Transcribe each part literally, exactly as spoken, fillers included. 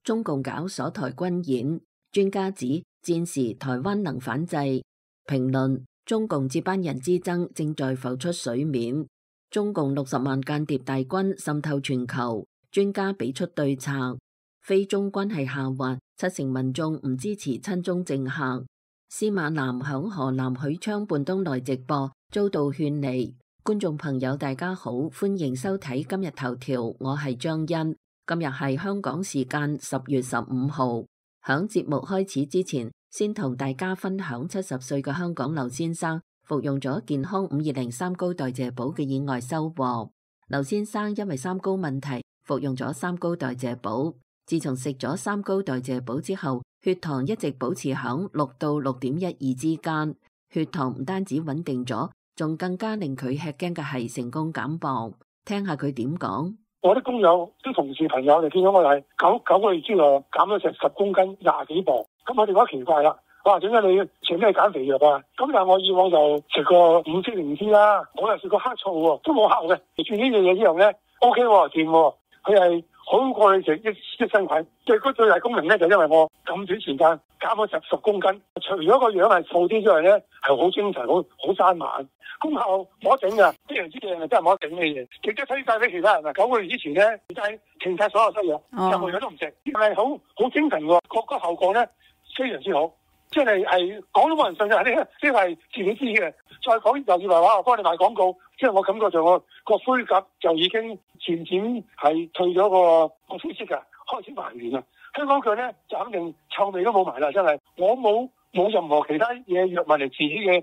中共搞鎖台軍演，專家指戰時台灣能反制。評論：中共接班人之爭正在浮出水面。中共六十萬間諜大軍滲透全球，專家俾出對策。非中關係下滑，七成民眾唔支持親中政客。司馬南響河南許昌半冬來直播，遭到勸離。觀眾朋友大家好，歡迎收睇今日頭條，我係張欣。今日係香港時間十月十五號。響節目開始之前，先同大家分享七十歲嘅香港劉先生服用咗健康五二零三高代謝寶嘅意外收穫。劉先生因為三高問題服用咗三高代謝寶，自從食咗三高代謝寶之後，血糖一直保持響六到六點一二之間。血糖唔單止穩定咗，仲更加令佢吃驚嘅係成功減磅。聽下佢點講。我啲工友、啲同事朋友就見到我係九九個月之內減咗成十公斤，廿幾磅。咁我哋覺得奇怪啦，哇！點解你食咩減肥藥啊？咁但係我以往就食過五色靈芝啦，我又食過黑醋喎，都冇效嘅。轉呢樣嘢之後咧 ，O K 喎，掂喎，佢係好過你食益益生菌。最嗰最大功能咧，就因為我咁短時間減咗十十公斤，除咗個樣係瘦啲之外咧，係好精神，好好生猛。功效冇得頂㗎，非常之正啊！真係冇得頂嘅嘢，亦都推介俾其他人啊！九個月之前咧，就係停晒所有西藥，任何嘢都唔食，係好好精神喎，個個效果咧非常之好，即係係講都冇人信嘅，呢呢係自己知嘅。再講又以為話我幫你賣廣告，即係我感覺上我個灰甲就已經漸漸係退咗個個灰色㗎，開始還原啦。香港腳咧就肯定臭味都冇埋啦，真係我冇冇任何其他嘢藥物嚟治嘅。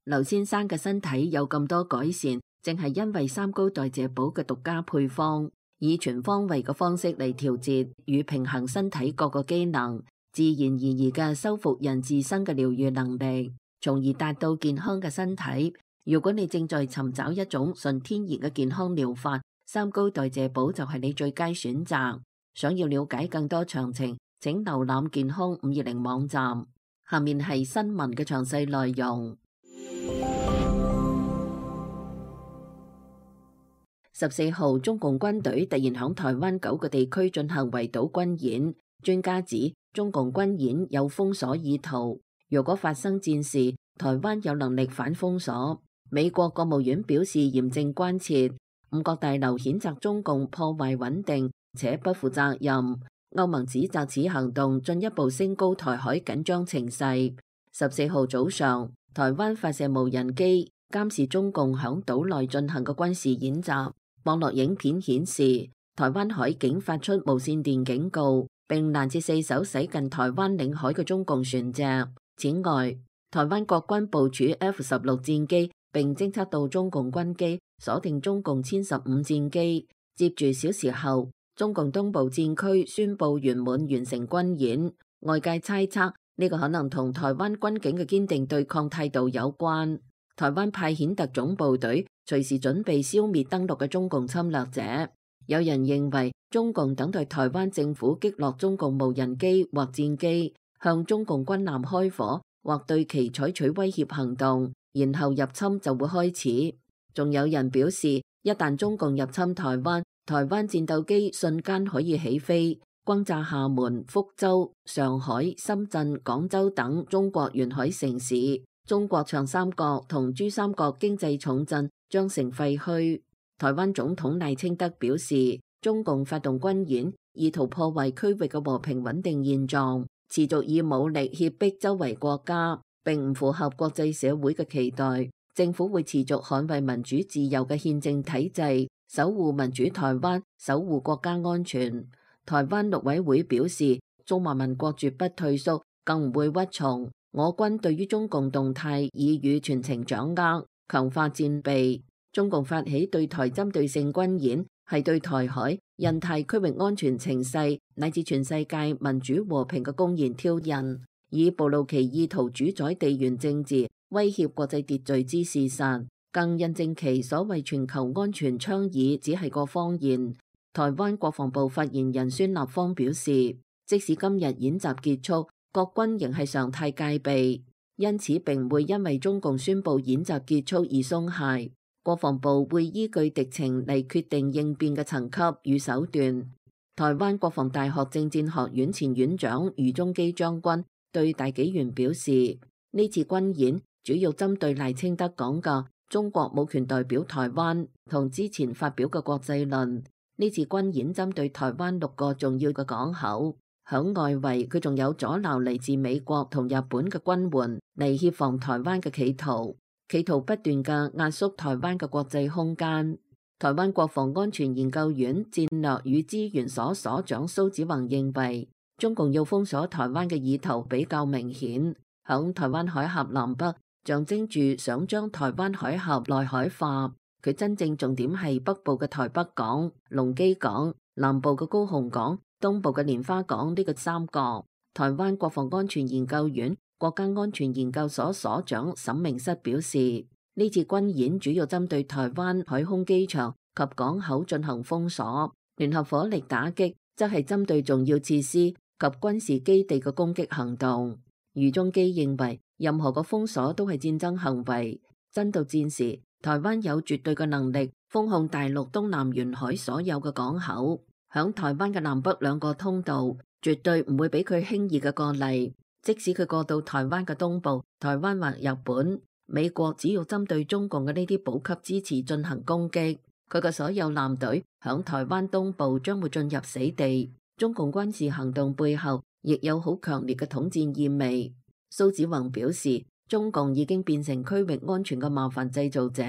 劉先生嘅身體有咁多改善，正係因為三高代謝寶嘅獨家配方，以全方位嘅方式嚟調節與平衡身體各個機能，自然而然嘅修復人自身嘅療愈能力，從而達到健康嘅身體。如果你正在尋找一種純天然嘅健康療法，三高代謝寶就係你最佳選擇。想要了解更多詳情，請瀏覽健康五二零網站。下面係新聞嘅詳細內容。十四號，中共軍隊突然響台灣九個地區進行圍島軍演，專家指中共軍演有封鎖意圖。如果發生戰事，台灣有能力反封鎖。美國國務院表示嚴正關切，五角大樓譴責中共破壞穩定且不負責任。歐盟指責此行動進一步升高台海緊張情勢。十四號早上，台灣發射無人機監視中共響島內進行嘅軍事演習。網絡影片顯示，台灣海警發出無線電警告，並攔截四艘駛近台灣領海嘅中共船隻。此外，台灣國軍部署 F 十六戰機，並偵測到中共軍機，鎖定中共殲十五戰機。接住小時後，中共東部戰區宣布圓滿完成軍演。外界猜測呢個可能同台灣軍警嘅堅定對抗態度有關。台灣派遣特種部隊，隨時準備消滅登陸嘅中共侵略者。有人認為中共等待台灣政府擊落中共無人機或戰機，向中共軍艦開火，或對其採取威脅行動，然後入侵就會開始。仲有人表示，一旦中共入侵台灣，台灣戰鬥機瞬間可以起飛，轟炸廈門、福州、上海、深圳、廣州等中國沿海城市。中國長三角同珠三角經濟重鎮將成廢墟。台灣總統賴清德表示，中共發動軍演，意圖破壞區域嘅和平穩定現狀，持續以武力脅迫周圍國家，並唔符合國際社會嘅期待。政府會持續捍衛民主自由嘅憲政體制，守護民主台灣，守護國家安全。台灣陸委會表示，中華民國絕不退縮，更唔會屈從。我軍對於中共動態已予全程掌握，強化戰備。中共發起對台針對性軍演，係對台海、印太區域安全情勢乃至全世界民主和平嘅公然挑釁，以暴露其意圖主宰地緣政治、威脅國際秩序之事實，更印證其所謂全球安全倡議只係個謊言。台灣國防部發言人孫立方表示，即使今日演習結束，國軍仍係常態戒備，因此並唔會因為中共宣布演習結束而鬆懈。國防部會依據敵情嚟決定應變嘅層級與手段。台灣國防大學政戰學院前院長余宗基將軍對大紀元表示，呢次軍演主要針對賴清德講嘅中國冇權代表台灣同之前發表嘅國際論。呢次軍演針對台灣六個重要嘅港口，響外圍佢仲有阻撓嚟自美國同日本嘅軍援嚟協防台灣嘅企圖，企圖不斷嘅壓縮台灣嘅國際空間。台灣國防安全研究院戰略與資源所所長蘇子宏認為，中共要封鎖台灣嘅意圖比較明顯，響台灣海峽南北象徵住想將台灣海峽內海化。佢真正重點係北部嘅台北港、龍基港、南部嘅高雄港、東部嘅蓮花港呢個三角。台灣國防安全研究院國家安全研究所所長沈明室表示，呢次軍演主要針對台灣海空機場及港口進行封鎖，聯合火力打擊則係針對重要設施及軍事基地嘅攻擊行動。余宗基認為，任何個封鎖都係戰爭行為。真到戰時，台灣有絕對嘅能力封控大陸東南沿海所有嘅港口，響台灣嘅南北兩個通道，絕對唔會俾佢輕易嘅過嚟。即使佢過到台灣嘅東部，台灣或日本，美國只要針對中共嘅呢啲補給支持進行攻擊，佢嘅所有艦隊響台灣東部將會進入死地。中共軍事行動背後亦有好強烈嘅統戰意味。蘇子宏表示，中共已經變成區域安全嘅麻煩製造者，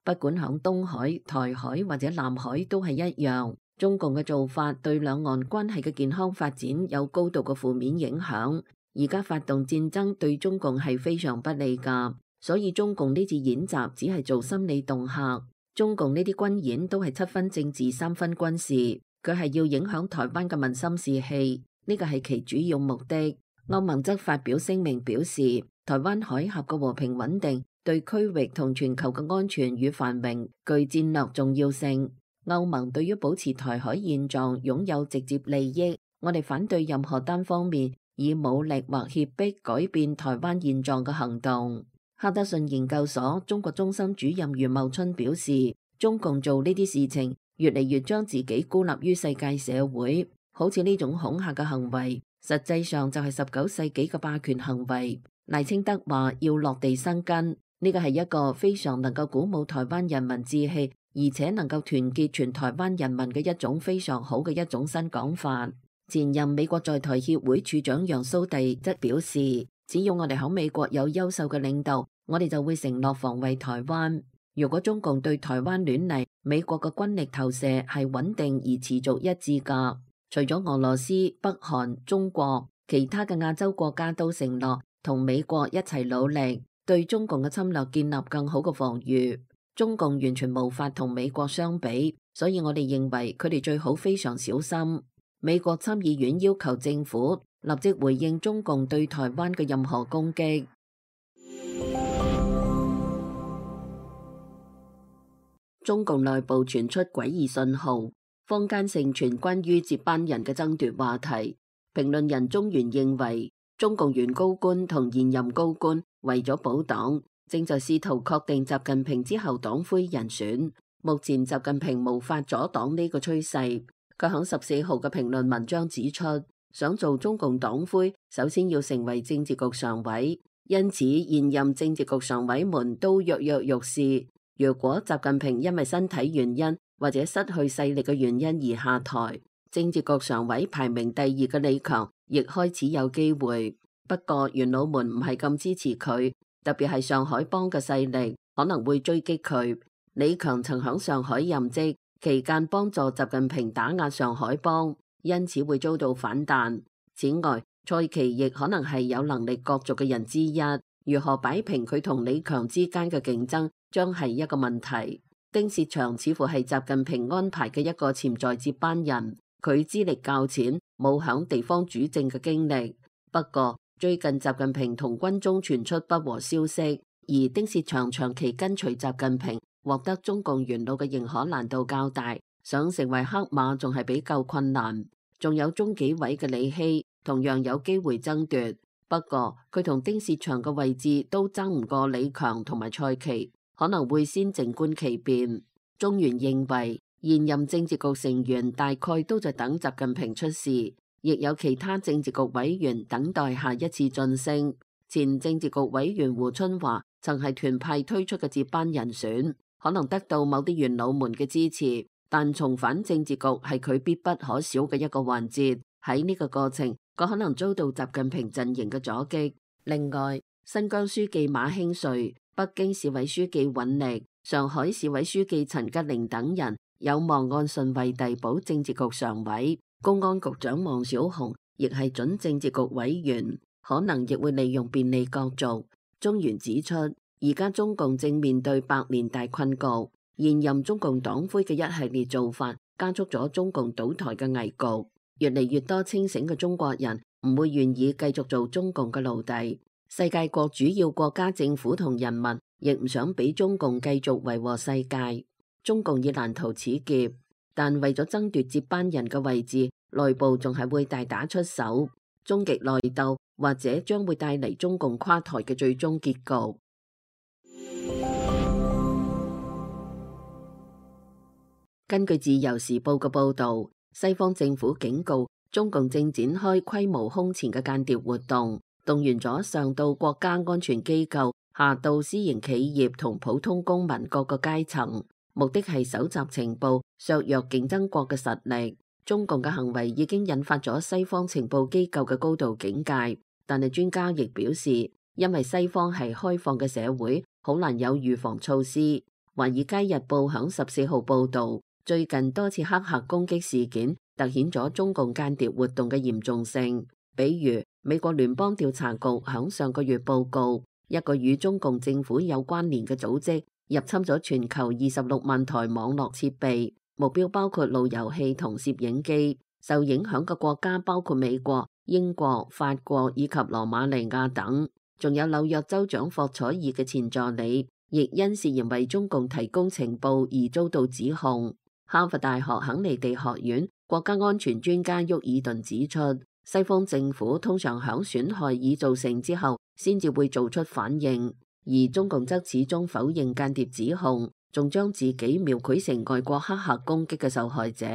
不管響東海、台海或者南海都係一樣。中共嘅做法對兩岸關係嘅健康發展有高度嘅負面影響。而家發動戰爭對中共係非常不利㗎。所以中共呢次演習只係做心理恫嚇，中共呢啲軍演都係七分政治三分軍事，佢係要影響台灣嘅民心士氣，呢個係其主要目的。歐盟則發表聲明表示，台灣海峽嘅和平穩定對區域同全球嘅安全與繁榮具戰略重要性。歐盟對於保持台海現狀擁有直接利益，我哋反對任何單方面以武力或脅迫改變台灣現狀嘅行動。哈德遜研究所中國中心主任余茂春表示，中共做呢啲事情越嚟越將自己孤立於世界社會，好似呢種恐嚇嘅行為，實際上就係十九世紀嘅霸權行為。賴清德話要落地生根，呢個係一個非常能夠鼓舞台灣人民志氣，而且能夠團結全台灣人民嘅一種非常好嘅一種新講法。前任美國在台協會處長楊蘇棣則表示，只要我哋喺美國有優秀嘅領導，我哋就會承諾防衛台灣。如果中共對台灣亂嚟，美國嘅軍力投射係穩定而持續一致㗎。除咗俄羅斯、北韓、中國，其他嘅亞洲國家都承諾同美國一齊努力，對中共嘅侵略建立更好嘅防禦。中共完全無法同美國相比，所以我哋認為佢哋最好非常小心。美國參議院要求政府立即回應中共對台灣嘅任何攻擊。中共內部傳出詭異信號，坊間盛傳關於接班人嘅爭奪話題。評論人中原認為，中共原高官同現任高官為咗保黨，正在試圖確定習近平之後黨魁人選。目前習近平無法阻擋呢個趨勢。佢喺十四號嘅評論文章指出，想做中共黨魁，首先要成為政治局常委，因此現任政治局常委們都躍躍欲試。如果習近平因為身體原因或者失去勢力嘅原因而下台，政治局常委排名第二嘅李強亦開始有機會。不過元老們唔係咁支持佢，特別係上海幫嘅勢力可能會追擊佢。李強曾響上海任職期間幫助習近平打壓上海幫，因此會遭到反彈。此外，蔡奇亦可能係有能力角逐嘅人之一。如何擺平佢同李強之間嘅競爭，將係一個問題。丁薛祥似乎係習近平安排嘅一個潛在接班人，佢資歷較淺，冇響地方主政嘅經歷。不過最近習近平同軍中傳出不和消息，而丁薛祥長期跟隨習近平，獲得中共元老嘅認可難度較大，想成為黑馬仲係比較困難。仲有中紀委嘅李希同樣有機會爭奪，不過佢同丁薛祥嘅位置都爭唔過李強同埋蔡奇，可能會先靜觀其變。中原認為現任政治局成員大概都在等習近平出事，亦有其他政治局委員等待下一次晉升。前政治局委員胡春華曾係團派推出嘅接班人選，可能得到某啲元老們嘅支持，但重返政治局係佢必不可少嘅一個環節。喺呢個過程，佢可能遭到習近平陣營嘅阻擊。另外，新疆書記馬興瑞、北京市委書記尹力、上海市委書記陳吉寧等人有望按順位遞補政治局常委。公安局長王小洪亦係準政治局委員，可能亦會利用便利角逐。中原指出，而家中共正面對百年大困局，現任中共黨魁嘅一系列做法加速咗中共倒台嘅危局。越嚟越多清醒嘅中國人唔會願意繼續做中共嘅奴隸。世界各主要國家政府同人民亦唔想俾中共繼續為禍世界。中共已難逃此劫，但為咗爭奪接班人嘅位置，內部仲係會大打出手，終極內鬥或者將會帶嚟中共垮台嘅最終結局。根據自由時報嘅報導，西方政府警告中共正展開規模空前嘅間諜活動，動員咗上到國家安全機構，下到私營企業同普通公民各個階層，目的係搜集情報，削弱競爭國嘅實力。中共嘅行為已經引發咗西方情報機構嘅高度警戒，但係專家亦表示，因為西方係開放嘅社會，好難有預防措施。華爾街日報響十四號報導，最近多次黑客攻擊事件凸顯咗中共間諜活動嘅嚴重性。比如，美國聯邦調查局響上個月報告，一個與中共政府有關聯嘅組織入侵咗全球二十六萬台網絡設備，目標包括路由器同攝影機。受影響嘅國家包括美國、英國、法國以及羅馬尼亞等，仲有紐約州長霍楚爾嘅前助理，亦因涉嫌為中共提供情報而遭到指控。哈佛大學肯尼迪學院國家安全專家沃爾頓指出，西方政府通常響損害已造成之後，先至會做出反應，而中共則始終否認間諜指控，仲將自己描繪成外國黑客攻擊嘅受害者。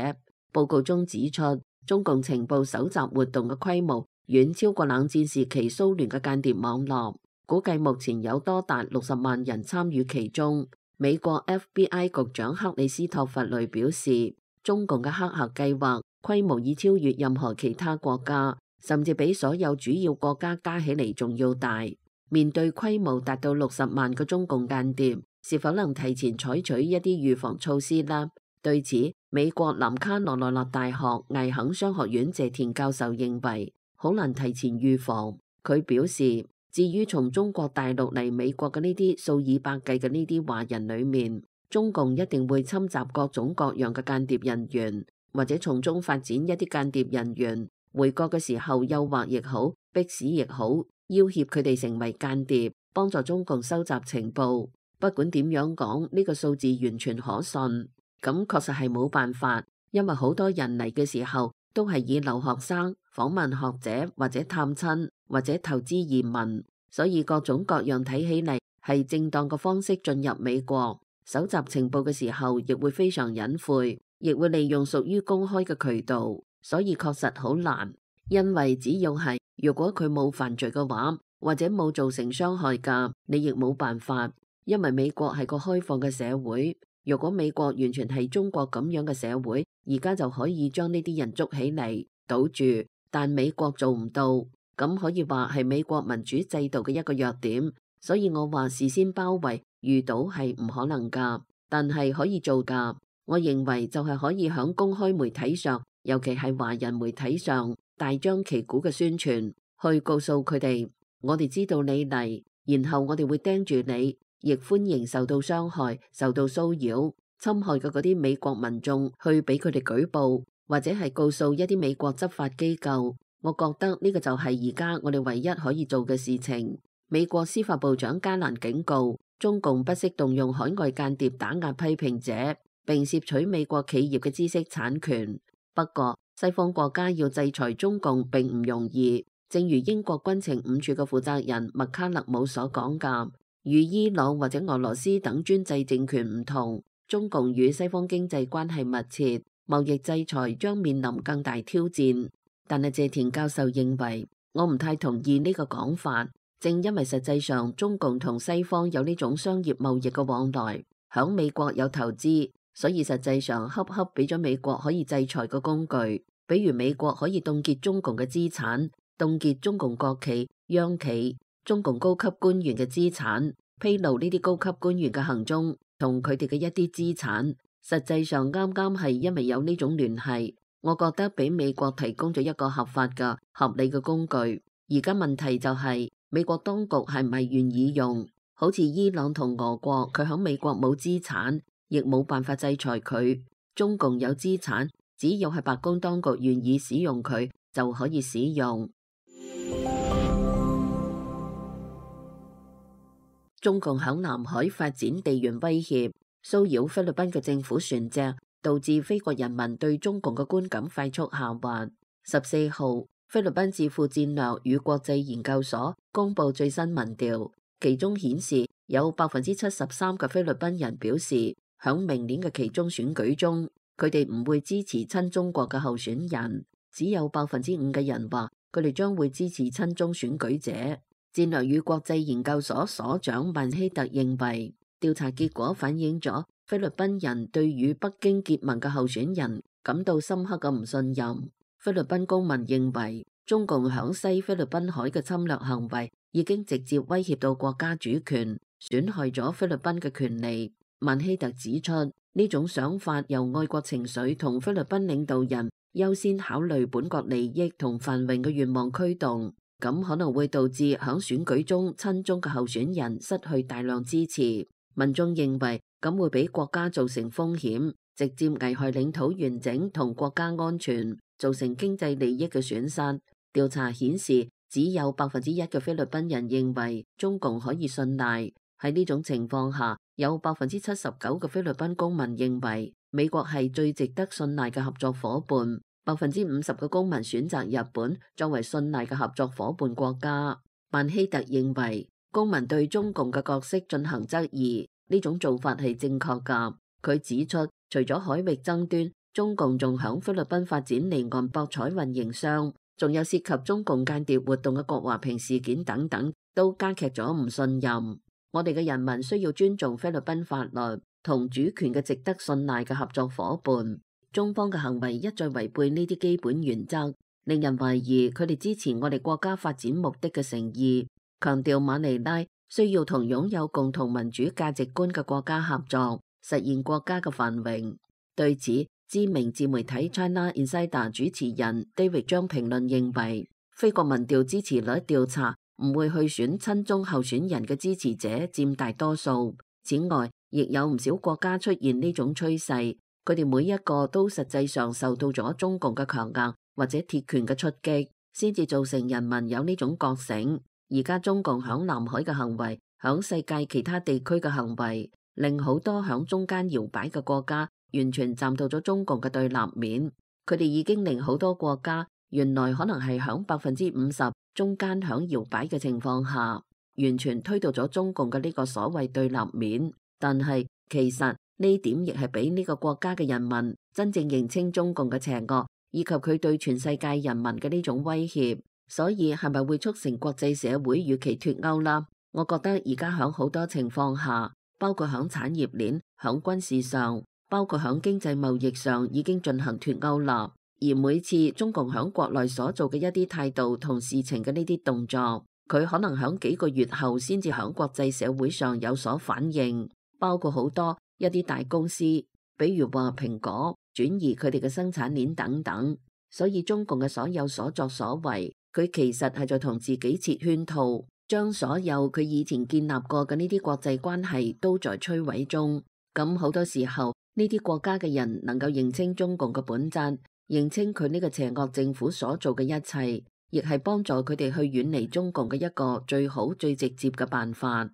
報告中指出，中共情報搜集活動嘅規模遠超過冷戰時期蘇聯嘅間諜網絡，估計目前有多達六十萬人參與其中。美國 F B I 局長克里斯托弗雷表示，中共嘅黑客計劃規模已超越任何其他國家，甚至比所有主要國家加起嚟仲要大。面對規模達到六十萬個中共間諜，是否能提前採取一啲預防措施呢？對此，美國南卡羅來納大學艾肯商學院謝田教授認為，好難提前預防。佢表示，至於從中國大陸嚟美國嘅呢啲數以百計嘅呢啲華人裏面，中共一定會侵襲各種各樣嘅間諜人員，或者從中發展一啲間諜人員回國嘅時候誘惑亦好，迫使亦好，要挾佢哋成為間諜，幫助中共收集情報。不管點樣講，呢個數字完全可信。咁確實係冇辦法，因為好多人嚟嘅時候都係以留學生、訪問學者或者探親或者投資移民，所以各種各樣睇起嚟係正當嘅方式進入美國。搜集情報嘅時候亦會非常隱晦，亦會利用屬於公開嘅渠道，所以確實好難。因為只要係如果佢冇犯罪嘅話，或者冇造成傷害㗎，你亦冇辦法。因為美國係個開放嘅社會。如果美國完全係中國咁樣嘅社會，而家就可以將呢啲人捉起嚟堵住，但美國做唔到，咁可以話係美國民主制度嘅一個弱點。所以我話事先包圍遇到係唔可能噶，但係可以做噶。我認為就係可以響公開媒體上，尤其係華人媒體上大張旗鼓嘅宣傳，去告訴佢哋，我哋知道你嚟，然後我哋會盯住你。亦歡迎受到傷害、受到騷擾、侵害嘅嗰啲美國民眾去俾佢哋舉報，或者係告訴一啲美國執法機構。我覺得呢個就係而家我哋唯一可以做嘅事情。美國司法部長加蘭警告，中共不惜動用海外間諜打壓批評者，並竊取美國企業嘅知識產權。不過，西方國家要制裁中共並唔容易，正如英國軍情五處嘅負責人麥卡勒姆所講㗎。與伊朗或者俄羅斯等專制政權唔同，中共與西方經濟關係密切，貿易制裁將面臨更大挑戰。但係謝田教授認為，我唔太同意呢個講法。正因為實際上中共同西方有呢種商業貿易嘅往來，響美國有投資，所以實際上恰恰俾咗美國可以制裁嘅工具。比如美國可以凍結中共嘅資產，凍結中共國企、央企、中共高級官員嘅資產，披露呢啲高級官員嘅行蹤同佢哋嘅一啲資產。實際上啱啱係因為有呢種聯繫，我覺得俾美國提供咗一個合法嘅、合理嘅工具。而家問題就係、是、美國當局係唔係願意用？好似伊朗同俄國，佢喺美國冇資產，亦冇辦法制裁佢。中共有資產，只要係白宮當局願意使用佢，就可以使用。中共響南海發展地緣威脅，騷擾菲律賓嘅政府船隻，導致菲國人民對中共嘅觀感快速下滑。十四號，菲律賓智庫戰略與國際研究所公布最新民調，其中顯示有百分之七十三嘅菲律賓人表示，響明年嘅期中選舉中，佢哋唔會支持親中國嘅候選人。只有百分之五嘅人話佢哋將會支持親中選舉者。戰略與國際研究所所長曼希特認為，調查結果反映咗菲律賓人對與北京結盟嘅候選人感到深刻嘅唔信任。菲律賓公民認為，中共響西菲律賓海嘅侵略行為已經直接威脅到國家主權，損害咗菲律賓嘅權利。曼希特指出，呢種想法由愛國情緒同菲律賓領導人優先考慮本國利益同繁榮嘅願望驅動，咁可能會導致響選舉中親中嘅候選人失去大量支持。民眾認為咁會俾國家造成風險，直接危害領土完整同國家安全，造成經濟利益嘅損失。調查顯示，只有百分之一嘅菲律賓人認為中共可以信賴。喺呢種情況下，有百分之七十九嘅菲律賓公民認為美國係最值得信賴嘅合作伙伴，百分之五十嘅公民選擇日本作為信賴嘅合作伙伴國家。曼希特認為公民對中共嘅角色進行質疑，呢種做法係正確㗎。佢指出，除咗海域爭端，中共仲響菲律賓發展離岸博彩運營商，仲有涉及中共間諜活動嘅郭華平事件等等，都加劇咗唔信任。我哋嘅人民需要尊重菲律賓法律同主權嘅值得信賴嘅合作伙伴。中方嘅行為一再違背呢啲基本原則，令人懷疑佢哋支持我哋國家發展目的嘅誠意。強調馬尼拉需要同擁有共同民主價值觀嘅國家合作，實現國家嘅繁榮。對此，知名自媒體 China Insider 主持人 David 將評論認為，菲國民調支持率調查唔會去選親中候選人嘅支持者佔大多數。此外，亦有唔少國家出現呢種趨勢，佢哋每一個都實際上受到咗中共嘅強硬或者鐵拳嘅出擊，先至造成人民有呢種覺醒。而家中共響南海嘅行為，響世界其他地區嘅行為，令好多響中間搖擺嘅國家完全站到咗中共嘅對立面。佢哋已經令好多國家原來可能係響百分之五十中間響搖擺嘅情況下，完全推到咗中共嘅呢個所謂對立面。但係其實呢點亦係俾呢個國家嘅人民真正認清中共嘅邪惡，以及佢對全世界人民嘅呢種威脅。所以係咪會促成國際社會與其脫鈎啦？我覺得而家響好多情況下，包括響產業鏈、響軍事上，包括響經濟貿易上，已經進行脫鈎啦。而每次中共響國內所做嘅一啲態度同事情嘅呢啲動作，佢可能響幾個月後先至響國際社會上有所反應。包括好多一啲大公司，比如話蘋果轉移佢哋嘅生產鏈等等。所以中共嘅所有所作所為，佢其實係在同自己設圈套，將所有佢以前建立過嘅呢啲國際關係都在摧毀中。咁好多時候，呢啲國家嘅人能夠認清中共嘅本質，認清佢呢個邪惡政府所做嘅一切，亦係幫助佢哋去遠離中共嘅一個最好最直接嘅辦法。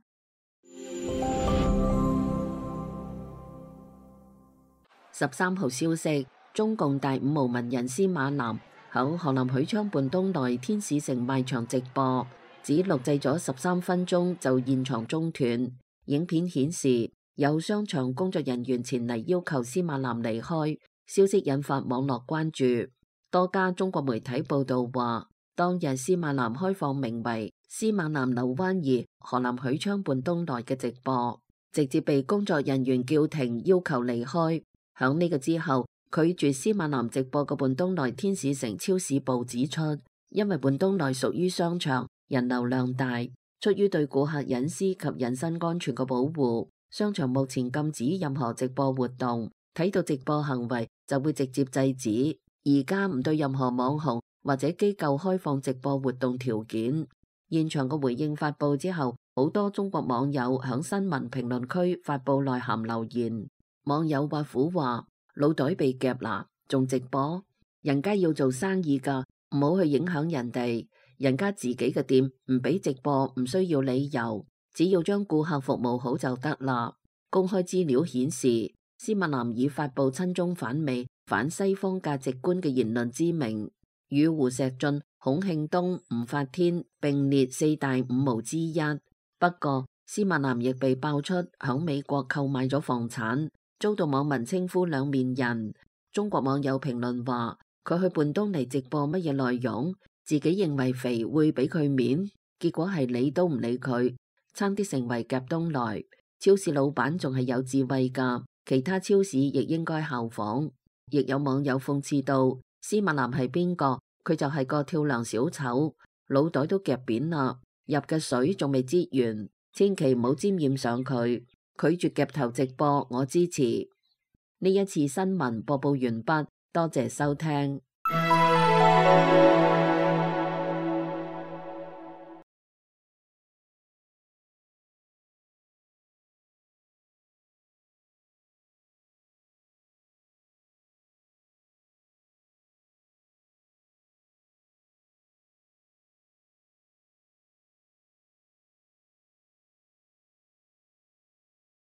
十三號消息，中共大五毛文人司馬南喺河南許昌泮東內天使城賣場直播，只錄製咗十三分鐘就現場中斷。影片顯示有商場工作人員前嚟要求司馬南離開，消息引發網絡關注。多家中國媒體報道話，當日司馬南開放名為司馬南樓灣二河南許昌泮東來嘅直播，直接被工作人員叫停，要求離開。響呢個之後，拒絕司馬南直播嘅泮東來天使城超市部指出，因為泮東來屬於商場，人流量大，出於對顧客隱私及人身安全嘅保護，商場目前禁止任何直播活動，睇到直播行為就會直接制止。而家唔對任何網紅或者機構開放直播活動條件。現場嘅回應發佈之後，好多中國網友響新聞評論區發佈內涵留言。網友挖苦話：腦袋被夾啦，仲直播？人家要做生意噶，唔好去影響人哋。人家自己嘅店唔俾直播，唔需要理由，只要將顧客服務好就得啦。公開資料顯示，司馬南以發佈親中反美、反西方價值觀嘅言論之名，與胡錫進、孔慶東、吳法天並列四大五毛之一。不過，司馬南亦被爆出響美國購買咗房產，遭到網民稱呼兩面人。中國網友評論話：佢去泮東嚟直播乜嘢內容？自己認為肥會俾佢面，結果係理都唔理佢，差啲成為夾東來。超市老闆仲係有智慧噶，其他超市亦應該效仿。亦有網友諷刺到：司馬南係邊個？佢就係個跳梁小丑，腦袋都夾扁啦，入嘅水仲未擠完，千祈唔好沾染上佢。拒絕夾頭直播，我支持。呢一次新聞播報完畢，多謝收聽。